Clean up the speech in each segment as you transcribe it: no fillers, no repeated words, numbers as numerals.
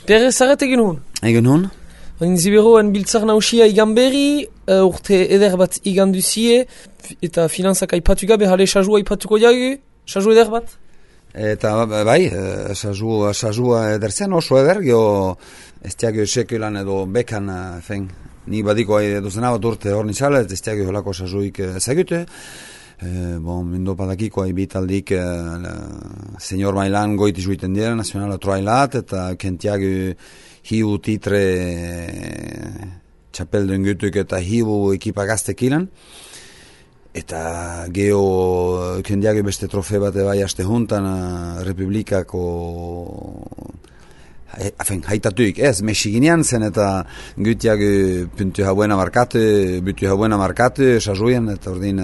Perez zarret egin hon? Egin hon? Ziberoen biltzar nausia igan berri, urte eder bat igan duzie, eta finanzak aipatu gabe, jale sajua aipatuko jagu, saju eder bat? Eta bai, sajua ederzen oso eder, geho ez tiagio sekulan edo bekan, ni badiko duzen bat urte hor nizala, ez tiagio holako sajuik ezagute. Mindo padakiko bitaldik senior mailan goiti juiten dira, nazionala troailat, eta kentiago hiu titre txapelduen gutuk eta hiu ekipa gaztekilan. Eta geho kendiago beste trofe bat bai aste juntan Republikako haitatuik ez, mesiginean zen eta gutiak puntu hauena markatu, butu hauena markatu, sajuien, eta ordin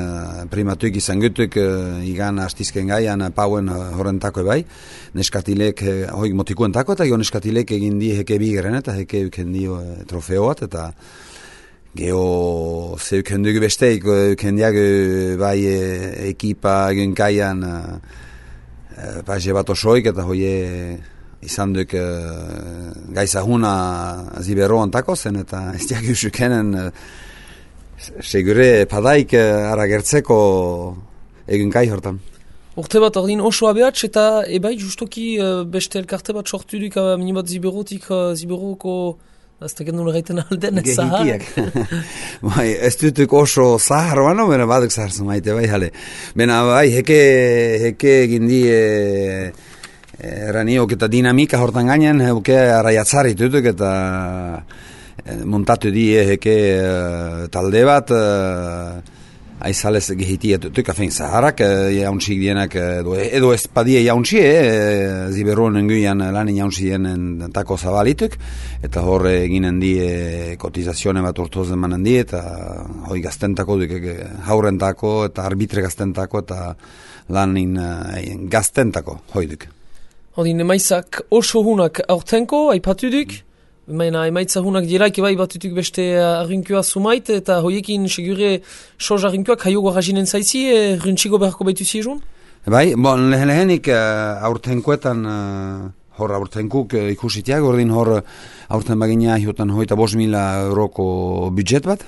primatuik izan gutuk igan astizken gaian pauen horrentako bai, neskatilek hoik motikuentako, eta gio neskatilek egin di heke bigeren, eta heke euken dio trofeoat, eta geho zeuken dugu besteik, kendiak bai ekipa egin kaian paxe bat osoik, eta hoie izan duk gaizahuna ziberoan tako zen, eta ez diak usukenen segure padaik aragertzeko egin kai hortan. Urte bat ordin oso abeatx, eta ebai justoki beste elkarte bat sortu duk minibat ziberotik ziberoko azteken nula gaiten alden ez zahar. Bai, ez dutuk oso zahar bano, bena baduk zahar zumaite, bai jale. Bena bai, heke gindi eraniok eta dinamika hortan gainen, heuke araiatzari tutuk eta montatu die heke talde bat, aizalez gehitia tutuk, afen zaharak jaunsik dienak, edo ez padie jaunsie, ziberuan nenguian lanin jaunsien tako zabalituk, eta horre eginen die kotizazione bat urtozen manen die, eta hoi gaztentako duk, haurentako eta arbitre gaztentako, eta lanin gaztentako hoi duk. Odin, emaitzak oso hunak aurtenko, aipatu duk, emaitza hunak dielaik bai batutuk beste arrinkua sumait, eta hoiekin segure soz arrinkuak haiogo rajinen zaitzi, runtxigo beharko baitu ziezun? Bai, lehenik aurtenkoetan, hor aurtenkuk ikusitiak, ordin hor aurten bagina hiotan hoita 5.000 euroko budget bat,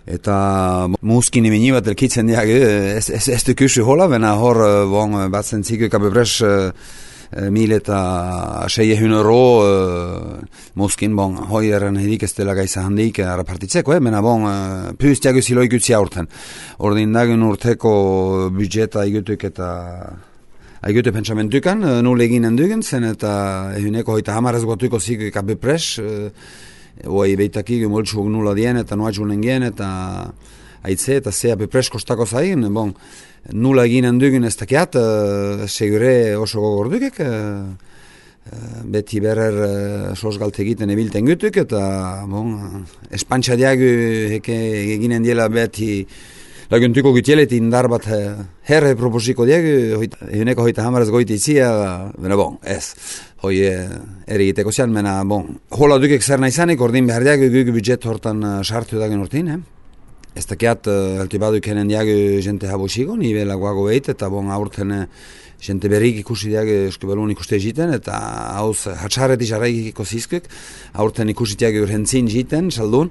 eta muskin imeni bat elkitzen diak, ez dukusu hola, bena hor batzen zikuk abebres 1.600 euro muskin, hoi erren hedik ez dela gaiza handik arapartitzeko, bena püz diago ziloi gutzi aurten. Ordin dagun urteko budgeta igutuk eta aigute pentsamentukan, nul eginen dugen zen, eta ehuneko hoita hamarez guatuko zikuk abebres, Oai beitaki moltsuk nula dien eta noa julen gen eta aitze eta zea bepres kostako zain, nula eginen dugun ez dakiat, segure oso gogor dukek, beti berer sosgalte egiten ebilten gutuk, eta espantxa diagu heke eginen diela beti laguntuko gutielet indar bat herre proposiko diagu, ehuneko hoita hamarez goiti itzia, ez. Hoi erigiteko zian, hola dukek zer naizanik, ordin behar diagu gugu budget hortan sartu dagen urtin, Ez dakiat, alti baduk henen diagu jente habosiko, nibe lagoago behit, eta aurten jente berrik ikusi diagu eskubelun ikuste egiten, eta hauz hatxarret izarraikiko zizkuk, aurten ikusi diagu urhentzin jiten, saldun,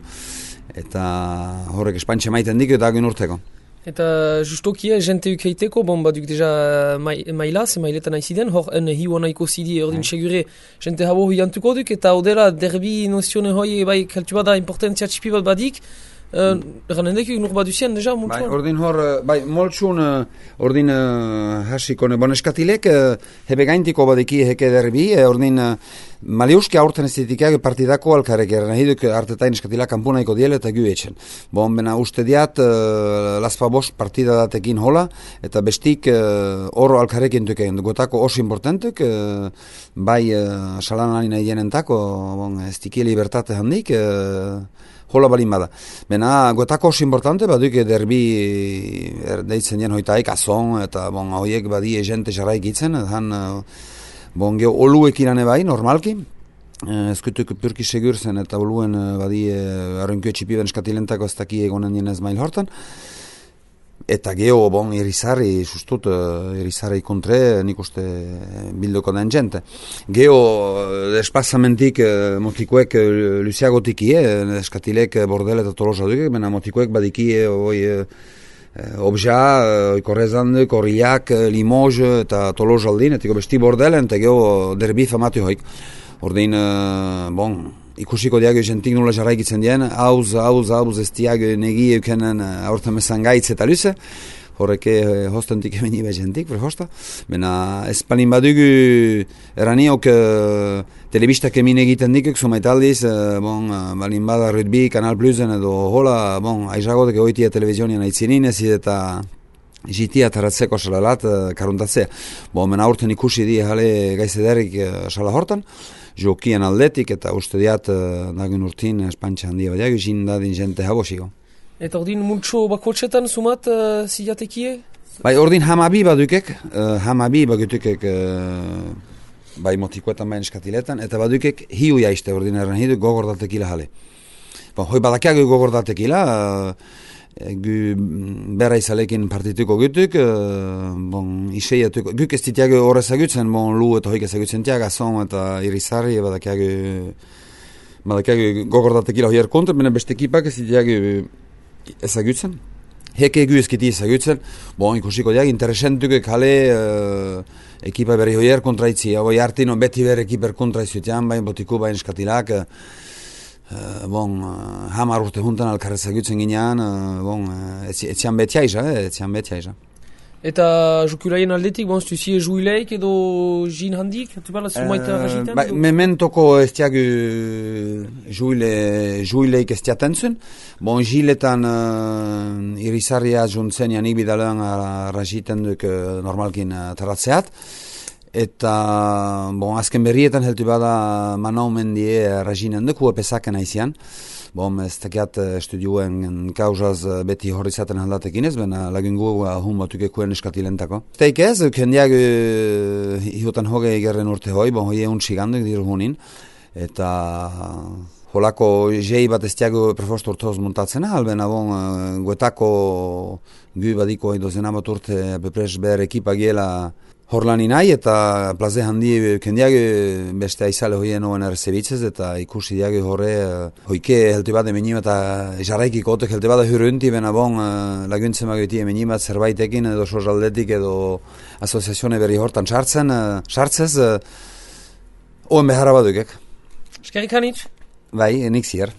eta horrek espantxe maiten dik dagen urteko. Eta justokia, jente ukeiteko, baduk deja mailaz, mailetan aiziden, hor hiu anaiko zidi, ordin segure jente habo hiantuko duk, eta odela derbi nozione hoi, kaltu bada importantzia txipi bat badik, Ranendek nur baduzien deja multsuan? Ordin hor, multsuan, ordin hasikone, eskatilek, hebe gaintiko badeki heke derbi, ordin maliuski aurten estetikak partidako alkarek erren, artetain eskatilak kampunaiko diele eta guetxen. Bena uste diat, laspa bost partida datekin hola, eta bestik oro alkarek entuken, gotako oso importantuk, bai salan alina idenentako, estiki libertate handik, hola balin bada. Bena, gotako oso importante, baduk derbi deitzen dien hoitaik azon, eta hoiek badie jente jarraik itzen, geho oluek irane bai, normalki, ezkutuk purki segur zen, eta oluen badie arrunkio txipi ben eskatilentako ez daki egonen dienez mail hortan. Eta geho, bon, irizarri, sustut, irizarri kontre, nik uste bildoko den jente. Geho, espazamentik motikoek luziagotik eskatilek bordel eta tolosa duk, bena motikoek badikie, obja, korrezanduk, korriak, Limoges eta tolosa aldin, etiko besti bordelen, eta geho derbi famatu hoik. Ordin, bon, ikusiko diago jentik nula jarraikitzen dien, hauz ez diago negi eukenen aurten mesan gaitz eta luze, horreke hostentik emeni jentik, prehosta. Bena, espalin badugu eraniok telebistak emin egiten dikuk, sumaitaldiz, bon, balin bada rugby, Kanal Plusen edo hola, bon, aizagotek oitia televizionian aitzinin ezid eta jitia taratzeko salalat karuntatzea. Bon, mena aurten ikusi di jale gaizederik sala hortan, jokien aldetik eta uste diat nagun urtin espantxa handia badiak izin dadin jente habosiko. Eta ordin multxo bakotxetan sumat zilatekie? Bai, ordin hamabi badukek, bai motikoetan bain eskatiletan, eta badukek hiu jaiste ordin erren hidu gogordatekila jale. Bon, hoi badakiago gogordatekila, bera izalekin partituko gutuk, bon, iseiatuko, guk ez ditiago horre zagutzen, bon, lu eta hoik ezagutzen tiaga, som eta irizarri, badakiago gogordatekila hoier kontra, bena beste ekipak ez ditiago ezagutzen. Heke egu ezkiti ezagutzen, bon, ikusiko diag, interesentuk kale ekipa berri hoier kontraitzi, hau jartino beti ber ekiper kontraizutian, bain botiku bain eskatilak, bon, hamar urte juntan alkarrezagutzen ginean, bon, etzian betia iza. Eta jokulaien aldetik, bon, stuzie juileik edo jin handik? Tu parla sumaita rajiten? Mementoko ez tiagu juileik ez tiatentzun. Bon, jiletan irizarria juntzen janik bidalean rajiten duk normalkin taratzeat. Eta, bon, azken berrietan heltu bada manaumendie rajinen duk, pesaken aizian. Bon, ez tekiat estudioen kauzaz beti horrizaten handatekin ez, bena lagungu hun batukekuen eskatilentako. Teik ez, kendiak hiutan hoge egerren urte hoi, bon, hoi egun txiganduk diru hunin. Eta holako jei bat ez tiago prefost urtoz montatzen ahal, bena bon, guetako gu badiko hoi dozen amat urte bepres ber ekipa giela horlani nahi, eta plaze handi kendiak beste aizale hoien oen errezebitzez, eta ikusi diag horre hoike helte bat emenim eta jarraikiko otek helte bat hurrunti, bena bon laguntzen magoiti emenim bat zerbaitekin edo sozaldetik edo asoziazione berri hortan sartzez, oen beharra badukek. Eskerrik hanitz? Bai, nik zier.